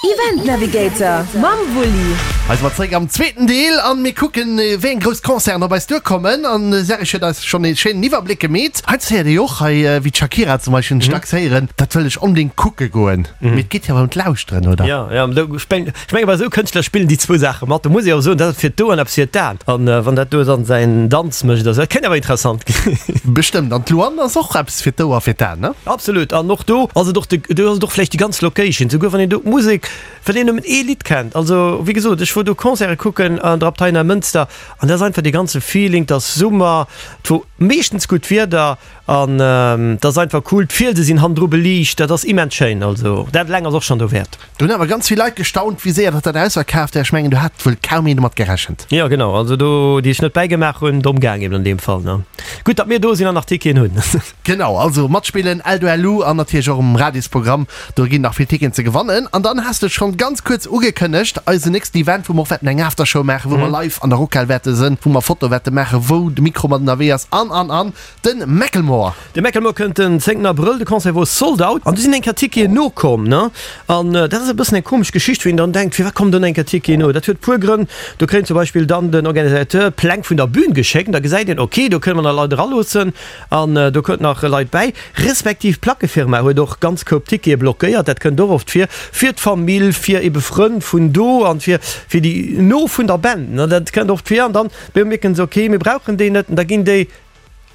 Event Navigator mam Wulli. Hei si mer zeréck am zweeten Deel an mir kucken wéi eng grouss Concerten op eis duerkommen. An de Serge huet eis schonn ee schéinen Iwwerbléck gemeet. Heiansdo héiert ee jo och hei wéi d'Shakira zum Beispill hunn ech dacks héieren, dat wëll ech onbedéngt kucke goen. Mee et geet jo awer ëm d'Lauschteren, oder? Jo, jo, do ech meng ech menge bei esou Kënschtler spillen déi zwou Saache mat. Do muss ee och soen, dat ass fir d'Oueren eppes fir d'Aen. An wann dat do dann säin Danz mécht oder sou, dat kéint awer interessant ginn. Bestëmmt. An d'Luanne ass och eppes fir d'Ouer, fir d'Aen, ne? Absolut. An och do ass et och de, do ass et och vläicht déi ganz Location, souguer wann een do d'Musek, Well een nëmmen ee Lidd kennt. Also, wéi gesot, ech wor do Concerte kucken an der Abtei Neimënster an dat ass einfach dee ganze Feeling, 't ass Summer, 't wor meeschtens gutt Wieder an 't ass einfach cool. D'Fielse sinn hannendru beliicht, dat ass immens schéin. Also dat eleng ass och schonn dowäert. Do hunn awer ganz vill Leit gestaunt, wéi séier datt dat ausverkaaft war. Ech mengen, do hat wuel kaum een domat gerechent. Jo, genau. Also do, déi sech net bäigemaach hunn, domm gaang eben an deem Fall, ne? Gutt, datt mir do sinn an nach Ticketen hunn. Genau, also matspillen, Eldo LU an natierlech och um Radiosprogramm, do ginn nach vill Ticketen ze gewannen. An dann has de et schonn ganz kuerz ugekënnegt, eisen nächsten Event, wou mer och wäerten eng Aftershow maachen, wou mer live an der Rockhal wäerte sënn, wou mer Fotoe wäerte maachen, wou de Mikro mat ënnerwee ass an, an, an, de Macklemore. De Macklemore kënnt den 10 Abrëll, de Concert wor sold out an du sinn eng Kéier Ticketen nokomm, ne? An dat ass e bëssen eng komesch Geschicht, wou een dann denkt, firwat kommen dann eng Kéier Ticketen no? Dat huet puer Grënn. Do kréien zum Beispill dann den Organisateur d'Pläng vun der Bühn geschéckt an da gesäit een, ok, do kënne mer nach Leit eraloossen. An do kënnt nach Leit bäi, respektiv d'Plackefirma huet och ganz Koup Tickete blockéiert. Dat kënnt och oft vir, fir d'Famill, fir ebe Frënn vun do an fir fir déi no vun der Band. Dat kënnt oft vir. An dann bemierken se, ok, mir brauchen déi net. An da ginn déi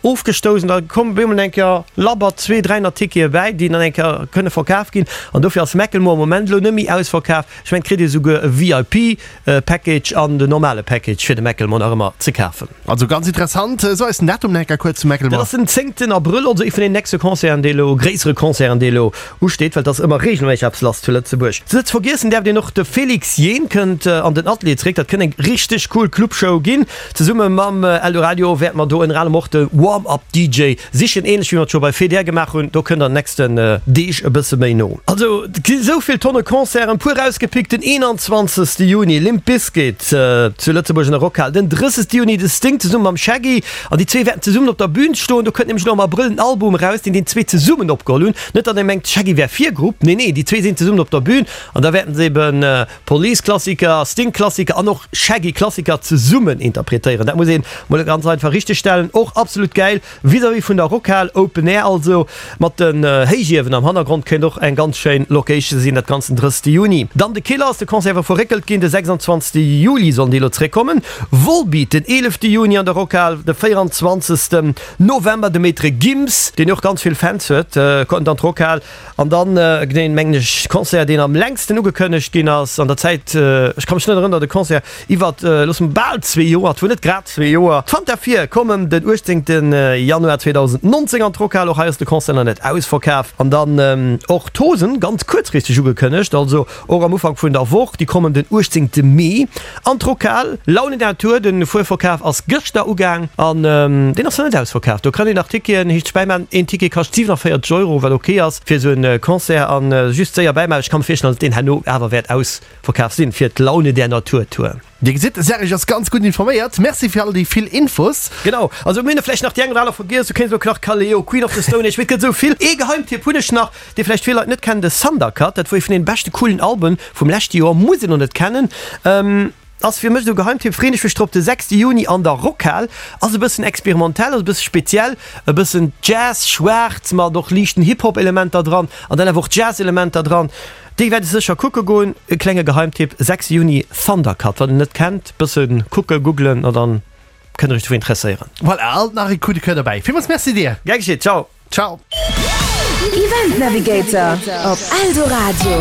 ofgestouss an da kommen op eemol eng Kéier labber zwee, 300 Tickete bäi, déi dann eng Kéier kënne verkaf ginn. An dofir ass Macklemore am Moment elo net méi ausverkaf. Ech mengen, et kritt ee souguer e VIP Package an den normale Package fir de Macklemore nach ëmmer ze kafen. Also ganz interessant. So eis den Datum nach eng Kéier kuerz, Macklemore. Dat ass den zéngten Abrëll, also ee vun den nächste Concerten, dee elo, gréissere Concerten, dee elo usteet, well et ass ëmmer reegelméisseg eppes lass zu Lëtzebuerg. Net ze vergiessen däerf een och, de Félix Jaehn kënnt an den Atelier zeréck. Dat kënnt eng richteg cool Clubshow ginn. Zesumme mam Eldoradio wäerte mer do ënner anerem och de Warm-Up DJ sichen, ähnlech wéi mer et scho bei Feder gemaach hunn. Do kënnt an den nächsten Deeg e bësse méi no. Also et gi sou vill Tonne Concerten, puer erausgepickt, den 21 Juni Limp Bizkit zu Lëtzebuerg an der Rockhal, den 30 Juni de Sting zesumme mam Shaggy an déi zwee wäerten zesummen op der Bün stoen. Do kënnt nämlech elo am Abrëll en Album eraus, deen déi zwee zesummen opgeholl hunn. Net datt ee mengt Shaggy wär Virgrupp, nee nee, déi zwee sinn zesummen op der Bün an da wäerten se eben Police-Klassiker, Sting-Klassiker an och Shaggy-Klassiker zesummen interpretéieren. Dat muss een mol ganz einfach richteg stellen. Och absolut gäil vis-à-vis vun der Rockhal, Open Air also, mat den Héichiewen am Hannergrond, kéint och eng ganz schéin Location sinn, dat Ganzt den 30 Juni. Dann de Killers, de Concert war verréckelt ginn, de 26 Juli sollen déi elo zeréckkommen. Volbeat den 11 Juni an der Rockhal, de 24 November de Maître Gims, deen och ganz vill Fans huet, kënnt an d'Rockhal. An dann deen, mengen ech, Concert, deen am längsten ugekënnegt ginn ass an der Zäit, ech ka mech net erënnern, datt e Concert iwwert, loosse mer, bal zwee Joer, et wor net grad zwee Joer, d'Fanta 4 kommen den 18 Januar 2019 an d'Rockhal. Och hei ass de Concert nach net ausverkaf. An dann och d'Hosen, ganz kuerzfristeg ugekënnegt, also Och am Ufank vun der Woch, déi kommen den 18 Mee an d'Rockhal. Laune Natur, den Fuerverkaf ass gëschter ugaang an deen ass nach net ausverkaf. Do kann een nach Ticketen heescht bäimaan. Een Ticket kascht 47 Euro, wat ok ass fir esou en Concert an just séier bäimaan. Ech ka mir virstellen, datt deen herno awer wäert ausverkaf sinn fir d'Laune der Natur Tour. Dir gesitt, de Serge ass ganz gutt informéiert. Merci fir all déi vill Infos. Genau, also mir hunn vläicht nach déi eng oder aner vergiess. Du kéints elo nach Kaleo, Queen of the Stone Age, mee et gëtt esou vill. Ee Geheimtipp hunn ech nach, dee vläicht vill Leit net kennen, de Thundercat. Dat wor ee vun den beschte coolen Alben vum leschte Joer, muss een och net kennen. Ass fir mech esou e Geheimtipp, freen ech mech drop. De 6 Juni an der Rockhal. Ass e bëssen experimentell, ass e bësse speziell, e bëssen Jazz, schwaarz mat och liichten Hip-Hop-Elementer dran an dann awer och Jazz-Elementer dran. Déi wäert ech sécher kucke goen. E klenge Geheimtipp, 6 Juni Thundercat, wann en net kennt, bësse kucke, googlen a dann kënnt der iech dofir interesséieren. Voilà, alt nach e Coup de Coeur derbäi. Villmools Merci dir! Gär geschitt, ciao! Ciao! Event Navigator op Eldoradio.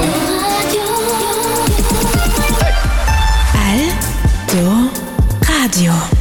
Eldoradio.